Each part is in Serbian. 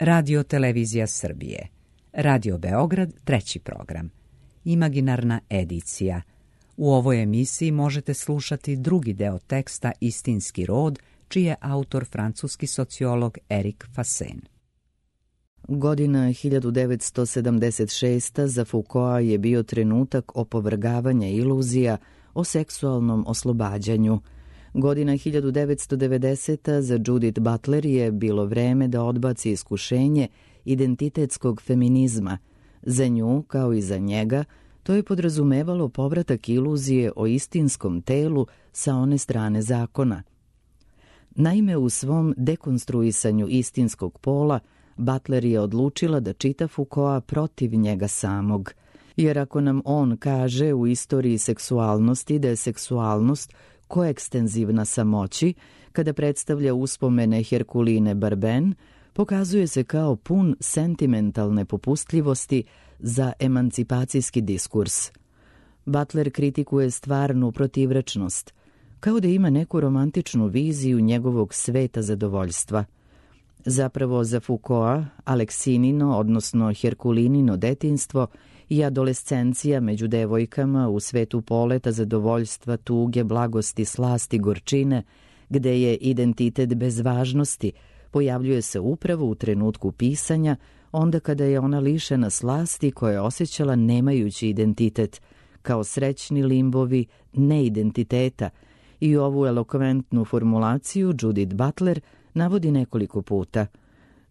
Radio Televizija Srbije, Radio Beograd, 3. program, Imaginarna edicija. U ovoj emisiji možete slušati drugi deo teksta Istinski rod, čiji je autor francuski sociolog Erik Fasen. Godina 1976. za Foucaulta je bio trenutak opovrgavanja iluzija o seksualnom oslobađanju. Godina 1990. za Judith Butler je bilo vreme da odbaci iskušenje identitetskog feminizma. Za nju, kao i za njega, to je podrazumevalo povratak iluzije o istinskom telu sa one strane zakona. Naime, u svom dekonstruisanju istinskog pola, Butler je odlučila da čita Foucaulta protiv njega samog. Jer ako nam on kaže u istoriji seksualnosti da je seksualnost koekstenzivna samoći, kada predstavlja uspomene Herkuline Barben, pokazuje se kao pun sentimentalne popustljivosti za emancipacijski diskurs. Butler kritikuje stvarnu protivrečnost, kao da ima neku romantičnu viziju njegovog sveta zadovoljstva. Zapravo za Foucaulta, Aleksinino, odnosno Herkulinino detinjstvo i adolescencija među devojkama u svetu poleta, zadovoljstva, tuge, blagosti, slasti, gorčine, gde je identitet bez važnosti, pojavljuje se upravo u trenutku pisanja, onda kada je ona lišena slasti koje je osjećala nemajući identitet, kao srećni limbovi neidentiteta, i ovu elokventnu formulaciju Judith Butler navodi nekoliko puta.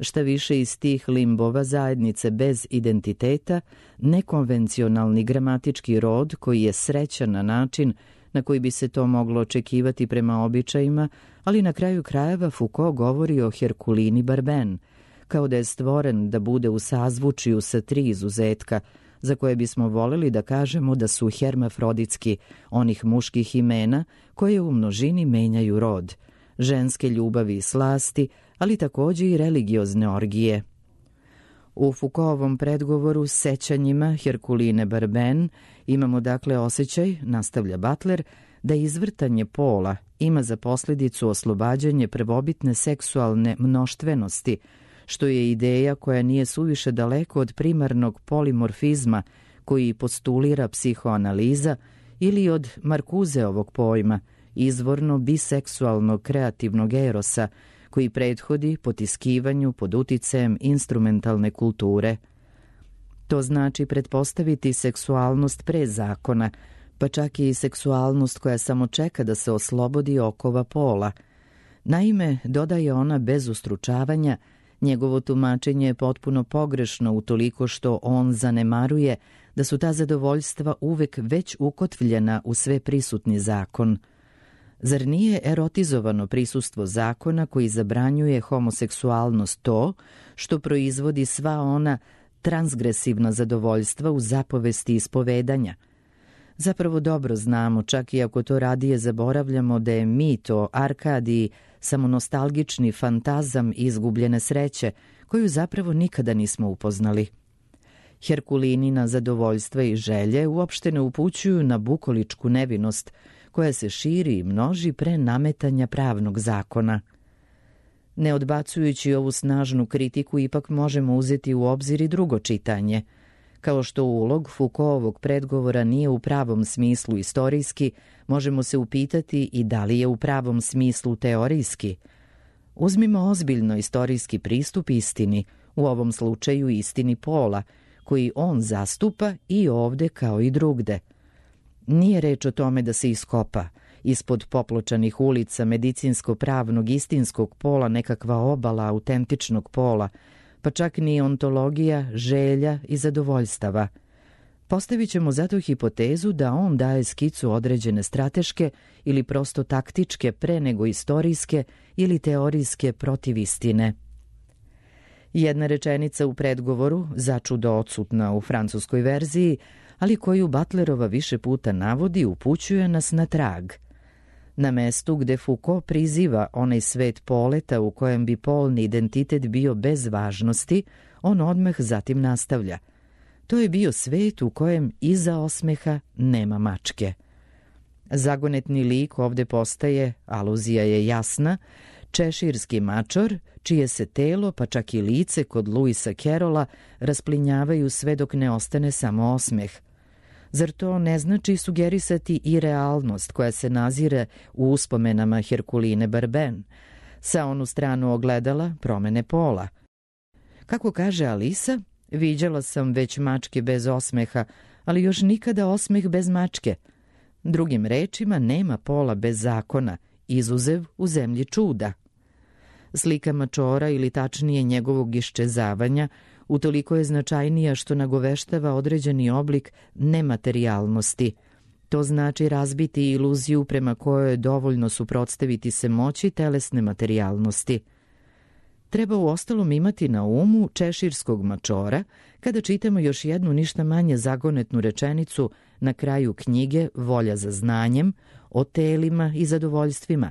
Šta više, iz tih limbova zajednice bez identiteta, nekonvencionalni gramatički rod koji je srećan na način na koji bi se to moglo očekivati prema običajima, ali na kraju krajeva Foucault govori o Herkulini Barben, kao da je stvoren da bude u sazvučiju sa 3 izuzetka, za koje bismo voleli da kažemo da su hermafroditski, onih muških imena koje u množini menjaju rod, ženske ljubavi i slasti, ali takođe i religiozne orgije. U Foucaultovom predgovoru s sećanjima Herkuline Barben imamo dakle osjećaj, nastavlja Butler, da izvrtanje pola ima za posljedicu oslobađanje prvobitne seksualne mnoštvenosti, što je ideja koja nije suviše daleko od primarnog polimorfizma koji postulira psihoanaliza ili od Markuzeovog pojma, izvorno biseksualnog kreativnog erosa, koji prethodi potiskivanju pod uticajem instrumentalne kulture. To znači pretpostaviti seksualnost pre zakona, pa čak i seksualnost koja samo čeka da se oslobodi okova pola. Naime, dodaje ona bez ustručavanja, njegovo tumačenje je potpuno pogrešno utoliko što on zanemaruje da su ta zadovoljstva uvek već ukotvljena u sve prisutni zakon. Zar nije erotizovano prisustvo zakona koji zabranjuje homoseksualnost to što proizvodi sva ona transgresivna zadovoljstva u zapovesti ispovedanja? Zapravo dobro znamo, čak i ako to radije zaboravljamo, da je mit o Arkadiji samo nostalgični fantazam izgubljene sreće, koju zapravo nikada nismo upoznali. Herkulinina zadovoljstva i želje uopšte ne upućuju na bukoličku nevinost, koja se širi i množi pre nametanja pravnog zakona. Ne odbacujući ovu snažnu kritiku, ipak možemo uzeti u obzir i drugo čitanje. Kao što ulog Foucaultovog predgovora nije u pravom smislu istorijski, možemo se upitati i da li je u pravom smislu teorijski. Uzmimo ozbiljno istorijski pristup istini, u ovom slučaju istini pola, koji on zastupa i ovde kao i drugde. Nije reč o tome da se iskopa ispod popločanih ulica medicinsko-pravnog istinskog pola nekakva obala autentičnog pola, pa čak ni ontologija želja i zadovoljstava. Postavit ćemo zato hipotezu da on daje skicu određene strateške ili prosto taktičke pre nego istorijske ili teorijske protivistine. Jedna rečenica u predgovoru, začudo odsutna u francuskoj verziji, ali koju Butlerova više puta navodi, upućuje nas na trag. Na mestu gde Foucault priziva onaj svet poleta u kojem bi polni identitet bio bez važnosti, on odmah zatim nastavlja. To je bio svet u kojem iza osmeha nema mačke. Zagonetni lik ovde postaje, aluzija je jasna, Češirski mačor, čije se telo, pa čak i lice kod Luisa Kerola rasplinjavaju sve dok ne ostane samo osmeh. Zar to ne znači sugerisati i realnost koja se nazire u uspomenama Herkuline Barben, sa onu stranu ogledala promene pola? Kako kaže Alisa, viđala sam već mačke bez osmeha, ali još nikada osmeh bez mačke. Drugim rečima, nema pola bez zakona, izuzev u zemlji čuda. Slika mačora, ili tačnije njegovog iščezavanja, utoliko je značajnija što nagoveštava određeni oblik nematerijalnosti. To znači razbiti iluziju prema kojoj je dovoljno suprotstaviti se moći telesne materijalnosti. Treba uostalom imati na umu češirskog mačora kada čitamo još jednu ništa manje zagonetnu rečenicu na kraju knjige Volja za znanjem o telima i zadovoljstvima.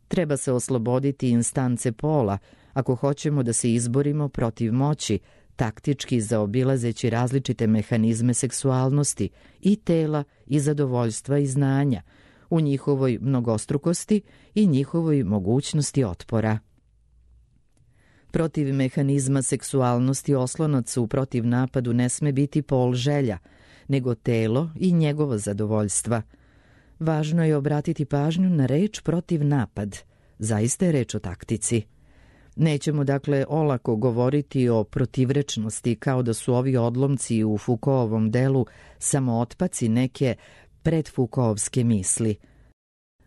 Treba se osloboditi instance pola ako hoćemo da se izborimo protiv moći, taktički zaobilazeći različite mehanizme seksualnosti i tela i zadovoljstva i znanja, u njihovoj mnogostrukosti i njihovoj mogućnosti otpora. Protiv mehanizma seksualnosti oslonac u protiv napadu ne sme biti pol želja, nego telo i njegovo zadovoljstva. Važno je obratiti pažnju na reč protiv napad. Zaista je reč o taktici. Nećemo dakle olako govoriti o protivrečnosti kao da su ovi odlomci u Foucaultovom delu samo otpaci neke predfoucaultske misli.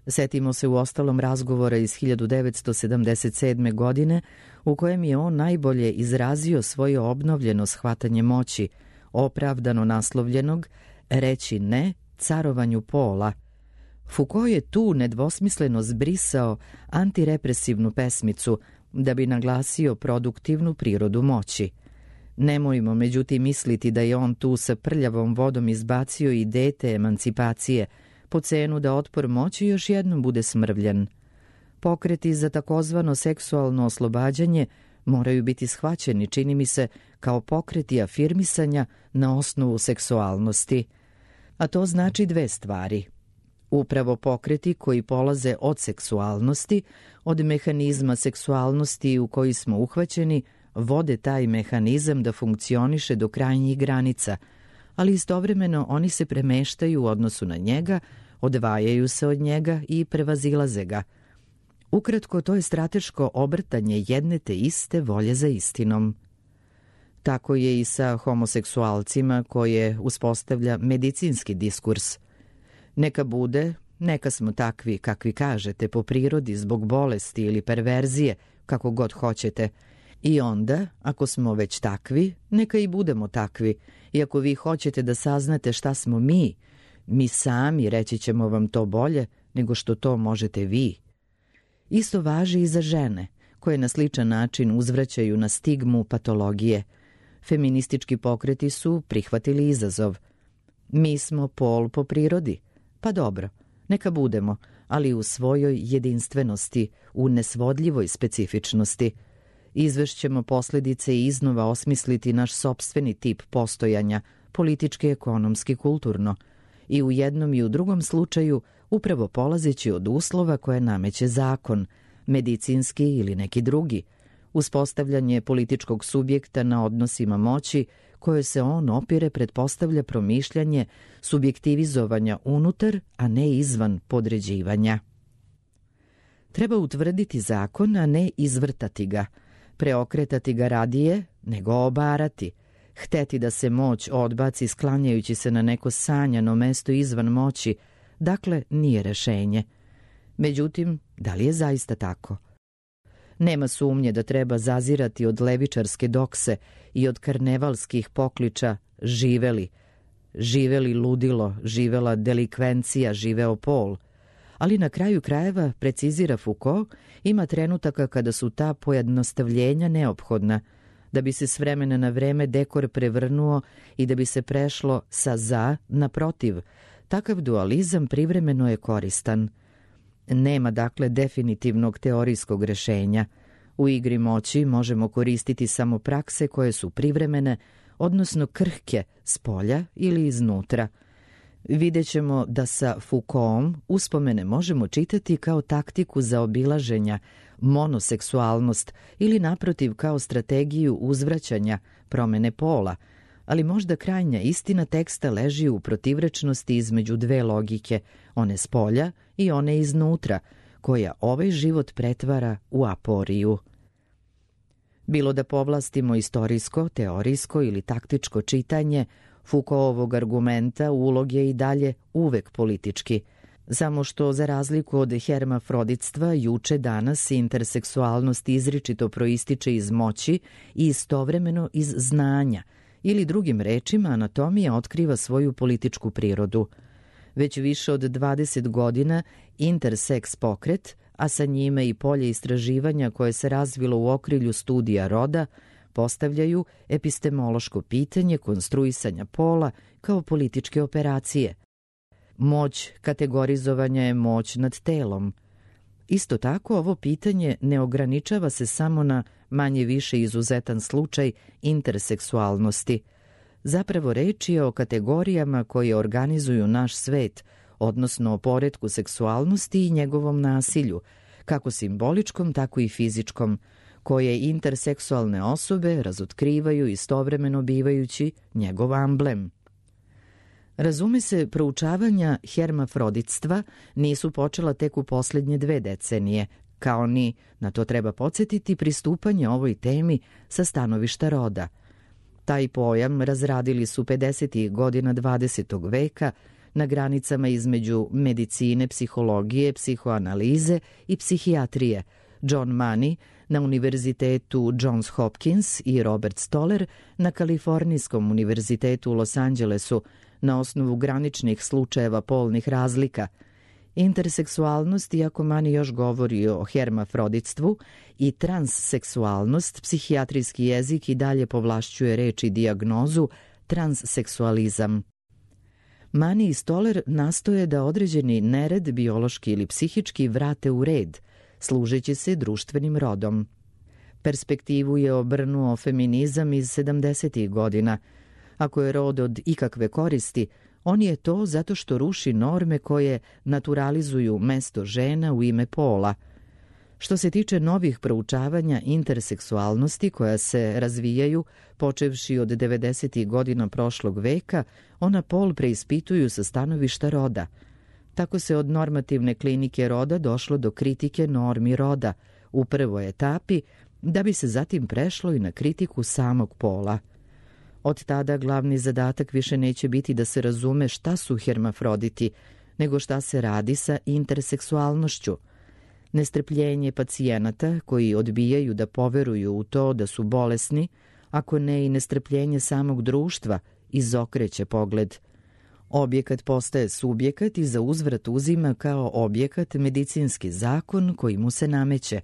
Setimo se uostalom razgovora iz 1977. godine u kojem je on najbolje izrazio svoje obnovljeno shvatanje moći, opravdano naslovljenog reći ne carovanju pola. Foucault je tu nedvosmisleno zbrisao antirepresivnu pesmicu da bi naglasio produktivnu prirodu moći. Nemojmo međutim misliti da je on tu sa prljavom vodom izbacio i dete emancipacije, po cenu da otpor moći još jednom bude smrvljen. Pokreti za takozvano seksualno oslobađanje moraju biti shvaćeni, čini mi se, kao pokreti afirmisanja na osnovu seksualnosti. A to znači dve stvari. Upravo pokreti koji polaze od seksualnosti, od mehanizma seksualnosti u koji smo uhvaćeni, vode taj mehanizam da funkcioniše do krajnjih granica, ali istovremeno oni se premeštaju u odnosu na njega, odvajaju se od njega i prevazilaze ga. Ukratko, to je strateško obrtanje jedne te iste volje za istinom. Tako je i sa homoseksualcima koje uspostavlja medicinski diskurs. Neka bude, neka smo takvi kakvi kažete po prirodi zbog bolesti ili perverzije, kako god hoćete. I onda, ako smo već takvi, neka i budemo takvi. I ako vi hoćete da saznate šta smo mi sami reći ćemo vam to bolje nego što to možete vi. Isto važi i za žene, koje na sličan način uzvraćaju na stigmu patologije. Feministički pokreti su prihvatili izazov. Mi smo pol po prirodi. Pa dobro, neka budemo, ali u svojoj jedinstvenosti, u nesvodljivoj specifičnosti. Izvešćemo posljedice i iznova osmisliti naš sopstveni tip postojanja, politički, ekonomski, kulturno. I u jednom i u drugom slučaju upravo polazeći od uslova koje nameće zakon, medicinski ili neki drugi, uspostavljanje političkog subjekta na odnosima moći koje se on opire pretpostavlja promišljanje subjektivizovanja unutar, a ne izvan podređivanja. Treba utvrditi zakon, a ne izvrtati ga, preokretati ga radije nego obarati, hteti da se moć odbaci sklanjajući se na neko sanjano mesto izvan moći, dakle nije rešenje. Međutim, da li je zaista tako? Nema sumnje da treba zazirati od levičarske dokse i od karnevalskih pokliča živeli ludilo, živela delikvencija, živeo pol. Ali na kraju krajeva, precizira Foucault, ima trenutaka kada su ta pojednostavljenja neophodna, da bi se s vremena na vreme dekor prevrnuo i da bi se prešlo sa za na protiv. Takav dualizam privremeno je koristan. Nema dakle definitivnog teorijskog rešenja. U igri moći možemo koristiti samo prakse koje su privremene, odnosno krhke s polja ili iznutra. Vidjet ćemo da sa Foucaultom uspomene možemo čitati kao taktiku zaobilaženja monoseksualnost ili naprotiv kao strategiju uzvraćanja promene pola, ali možda krajnja istina teksta leži u protivrečnosti između dve logike, one spolja i one iznutra, koja ovaj život pretvara u aporiju. Bilo da povlastimo istorijsko, teorijsko ili taktičko čitanje, Foucaultovog argumenta ulog je i dalje uvek politički, samo što za razliku od hermafroditstva juče danas interseksualnost izričito proističe iz moći i istovremeno iz znanja, ili drugim rečima anatomija otkriva svoju političku prirodu. Već više od 20 godina interseks pokret, a sa njime i polje istraživanja koje se razvilo u okrilju studija roda, postavljaju epistemološko pitanje konstruisanja pola kao političke operacije. Moć kategorizovanja je moć nad telom. Isto tako, ovo pitanje ne ograničava se samo na manje više izuzetan slučaj interseksualnosti. Zapravo reč je o kategorijama koje organizuju naš svet, odnosno o poretku seksualnosti i njegovom nasilju, kako simboličkom, tako i fizičkom, koje interseksualne osobe razotkrivaju istovremeno bivajući njegov amblem. Razume se, proučavanja hermafroditstva nisu počela tek u posljednje 2 decenije, kao ni, na to treba podsjetiti, pristupanje ovoj temi sa stanovišta roda. Taj pojam razradili su 50. godina 20. veka na granicama između medicine, psihologije, psihoanalize i psihijatrije, John Money na Univerzitetu Johns Hopkins i Robert Stoller na Kalifornijskom univerzitetu u Los Angelesu na osnovu graničnih slučajeva polnih razlika. Interseksualnost, iako Money još govori o hermafroditstvu, i transseksualnost, psihijatrijski jezik i dalje povlašćuje reč i dijagnozu transseksualizam. Money i Stoller nastoje da određeni nered, biološki ili psihički, vrate u red, služeći se društvenim rodom. Perspektivu je obrnuo feminizam iz 70. godina. Ako je rod od ikakve koristi, on je to zato što ruši norme koje naturalizuju mesto žena u ime pola. Što se tiče novih proučavanja interseksualnosti koja se razvijaju, počevši od 90. godina prošlog veka, ona pol preispituju sa stanovišta roda. Tako se od normativne klinike roda došlo do kritike normi roda u prvoj etapi, da bi se zatim prešlo i na kritiku samog pola. Od tada glavni zadatak više neće biti da se razume šta su hermafroditi, nego šta se radi sa interseksualnošću. Nestrpljenje pacijenata koji odbijaju da poveruju u to da su bolesni, ako ne i nestrpljenje samog društva, izokreće pogled. Objekat postaje subjekat i za uzvrat uzima kao objekat medicinski zakon koji mu se nameće.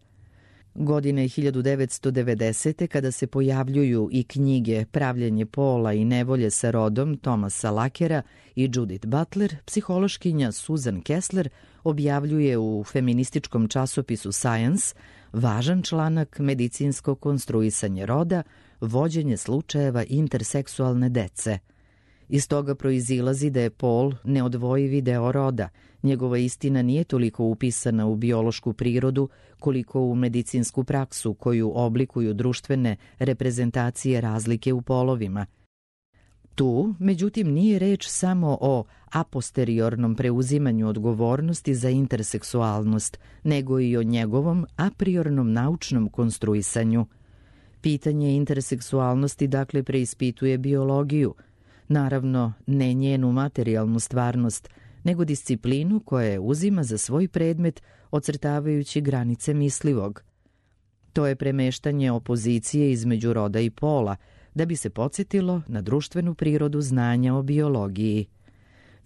Godine 1990. kada se pojavljuju i knjige Pravljenje pola i nevolje sa rodom Thomasa Lakera i Judith Butler, psihološkinja Susan Kessler objavljuje u feminističkom časopisu Science važan članak Medicinsko konstruisanje roda, vođenje slučajeva interseksualne dece. Iz toga proizilazi da je pol neodvojivi deo roda. Njegova istina nije toliko upisana u biološku prirodu koliko u medicinsku praksu koju oblikuju društvene reprezentacije razlike u polovima. Tu, međutim, nije reč samo o aposteriornom preuzimanju odgovornosti za interseksualnost, nego i o njegovom apriornom naučnom konstruisanju. Pitanje interseksualnosti dakle preispituje biologiju, naravno ne njenu materijalnu stvarnost, nego disciplinu koja je uzima za svoj predmet ocrtavajući granice mislivog. To je premeštanje opozicije između roda i pola, da bi se podsjetilo na društvenu prirodu znanja o biologiji.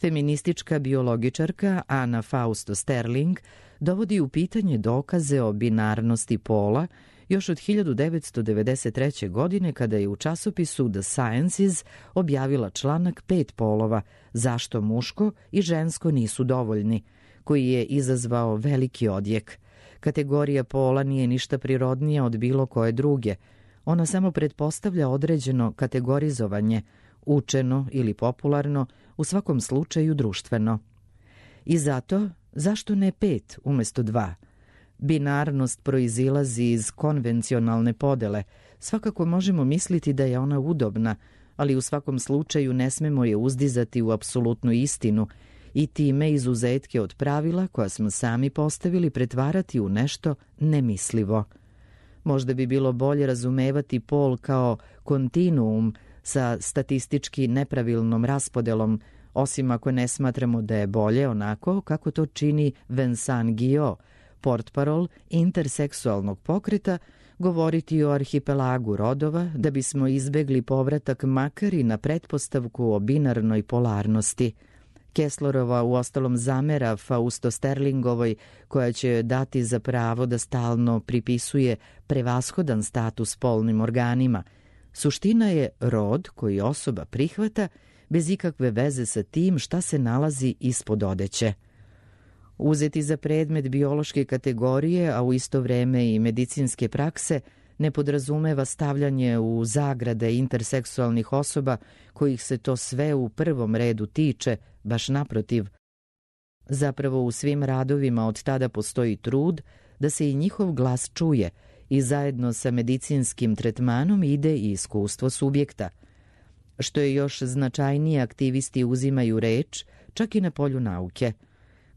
Feministička biologičarka Anna Fausto Sterling dovodi u pitanje dokaze o binarnosti pola još od 1993. godine kada je u časopisu The Sciences objavila članak 5 polova, zašto muško i žensko nisu dovoljni, koji je izazvao veliki odjek. Kategorija pola nije ništa prirodnija od bilo koje druge. Ona samo pretpostavlja određeno kategorizovanje, učeno ili popularno, u svakom slučaju društveno. I zato, zašto ne 5 umjesto 2? Binarnost proizilazi iz konvencionalne podele. Svakako možemo misliti da je ona udobna, ali u svakom slučaju ne smemo je uzdizati u apsolutnu istinu i time izuzetke od pravila koja smo sami postavili pretvarati u nešto nemislivo. Možda bi bilo bolje razumevati pol kao kontinuum sa statistički nepravilnom raspodelom, osim ako ne smatramo da je bolje onako kako to čini Vincent Guyot, portparol interseksualnog pokreta, govoriti o arhipelagu rodova da bismo izbegli povratak makar i na pretpostavku o binarnoj polarnosti. Kesslerova uostalom zamera Fausto Sterlingovoj, koja će dati za pravo da stalno pripisuje prevashodan status polnim organima. Suština je rod koji osoba prihvata bez ikakve veze sa tim šta se nalazi ispod odeće. Uzeti za predmet biološke kategorije, a u isto vreme i medicinske prakse, ne podrazumeva stavljanje u zagrade interseksualnih osoba kojih se to sve u prvom redu tiče, baš naprotiv. Zapravo u svim radovima od tada postoji trud da se i njihov glas čuje i zajedno sa medicinskim tretmanom ide i iskustvo subjekta. Što je još značajnije, aktivisti uzimaju reč čak i na polju nauke.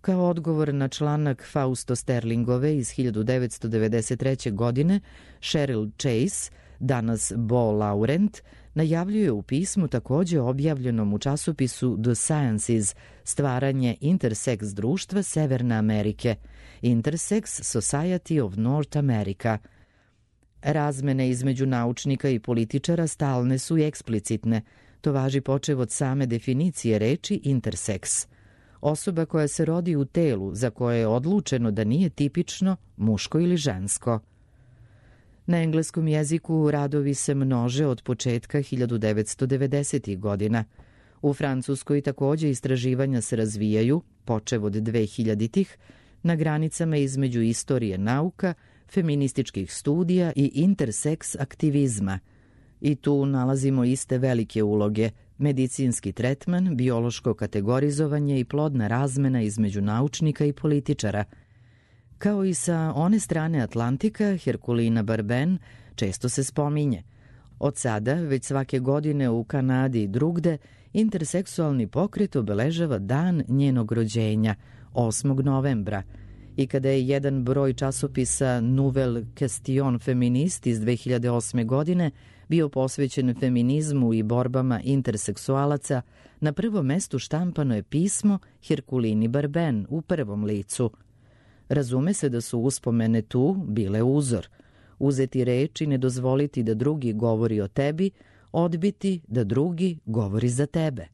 Kao odgovor na članak Fausto Sterlingove iz 1993. godine, Cheryl Chase, danas Bo Laurent, najavljuje u pismu takođe objavljenom u časopisu The Sciences stvaranje intersex društva Severne Amerike, Intersex Society of North America. Razmene između naučnika i političara stalne su i eksplicitne. To važi počev od same definicije reči intersex. Osoba koja se rodi u telu za koje je odlučeno da nije tipično muško ili žensko. Na engleskom jeziku radovi se množe od početka 1990. godina. U Francuskoj takođe istraživanja se razvijaju, počev od 2000-ih, na granicama između istorije nauka, feminističkih studija i interseks aktivizma. I tu nalazimo iste velike uloge: medicinski tretman, biološko kategorizovanje i plodna razmena između naučnika i političara. Kao i sa one strane Atlantika, Herkulina Barben često se spominje. Od sada, već svake godine u Kanadi i drugde, interseksualni pokret obeležava dan njenog rođenja, 8. novembra. I kada je jedan broj časopisa Nouvelle Question Feminist iz 2008. godine bio posvećen feminizmu i borbama interseksualaca, na prvom mestu štampano je pismo Herkulini Barben u prvom licu. Razume se da su uspomene tu bile uzor. Uzeti reč i ne dozvoliti da drugi govori o tebi, odbiti da drugi govori za tebe.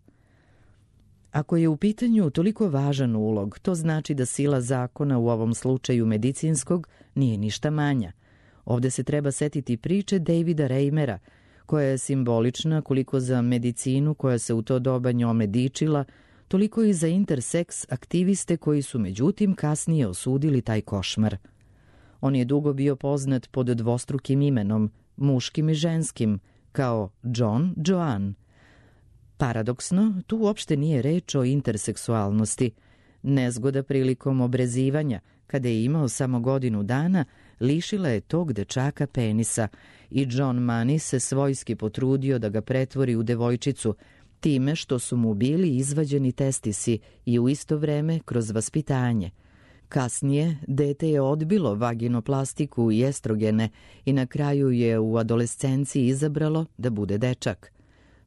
Ako je u pitanju toliko važan ulog, to znači da sila zakona, u ovom slučaju medicinskog, nije ništa manja. Ovde se treba setiti priče Davida Reimera, koja je simbolična koliko za medicinu koja se u to doba njome dičila, toliko i za interseks aktiviste koji su međutim kasnije osudili taj košmar. On je dugo bio poznat pod dvostrukim imenom, muškim i ženskim, kao John Joan. Paradoksno, tu uopšte nije reč o interseksualnosti. Nezgoda prilikom obrezivanja, kada je imao samo godinu dana, lišila je tog dečaka penisa i John Money se svojski potrudio da ga pretvori u devojčicu, time što su mu bili izvađeni testisi i u isto vreme kroz vaspitanje. Kasnije, dete je odbilo vaginoplastiku i estrogene i na kraju je u adolescenciji izabralo da bude dečak.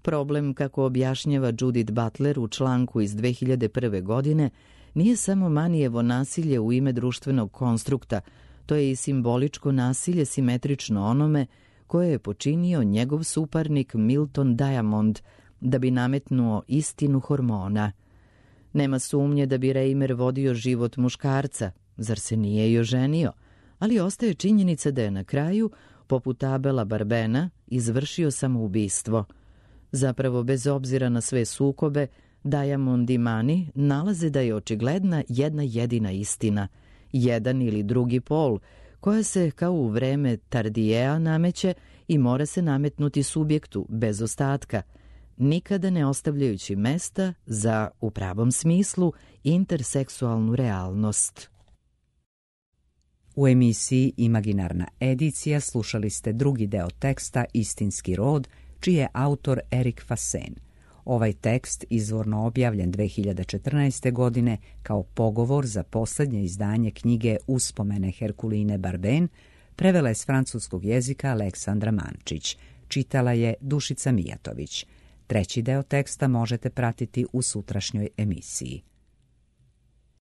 Problem, kako objašnjava Judith Butler u članku iz 2001. godine, nije samo Manijevo nasilje u ime društvenog konstrukta, to je i simboličko nasilje simetrično onome koje je počinio njegov suparnik Milton Diamond da bi nametnuo istinu hormona. Nema sumnje da bi Reimer vodio život muškarca, zar se nije i oženio, ali ostaje činjenica da je na kraju, poput Abela Barbena, izvršio samoubistvo. Zapravo, bez obzira na sve sukobe, Diamond i Money nalaze da je očigledna jedna jedina istina, jedan ili drugi pol, koja se kao u vreme Tardiea nameće i mora se nametnuti subjektu bez ostatka, nikada ne ostavljajući mesta za, u pravom smislu, interseksualnu realnost. U emisiji Imaginarna edicija slušali ste drugi deo teksta Istinski rod, čiji je autor Erik Fasen. Ovaj tekst izvorno objavljen 2014. godine kao pogovor za posljednje izdanje knjige Uspomene Herkuline Barben prevela je s francuskog jezika Aleksandra Mančić. Čitala je Dušica Mijatović. Treći deo teksta možete pratiti u sutrašnjoj emisiji.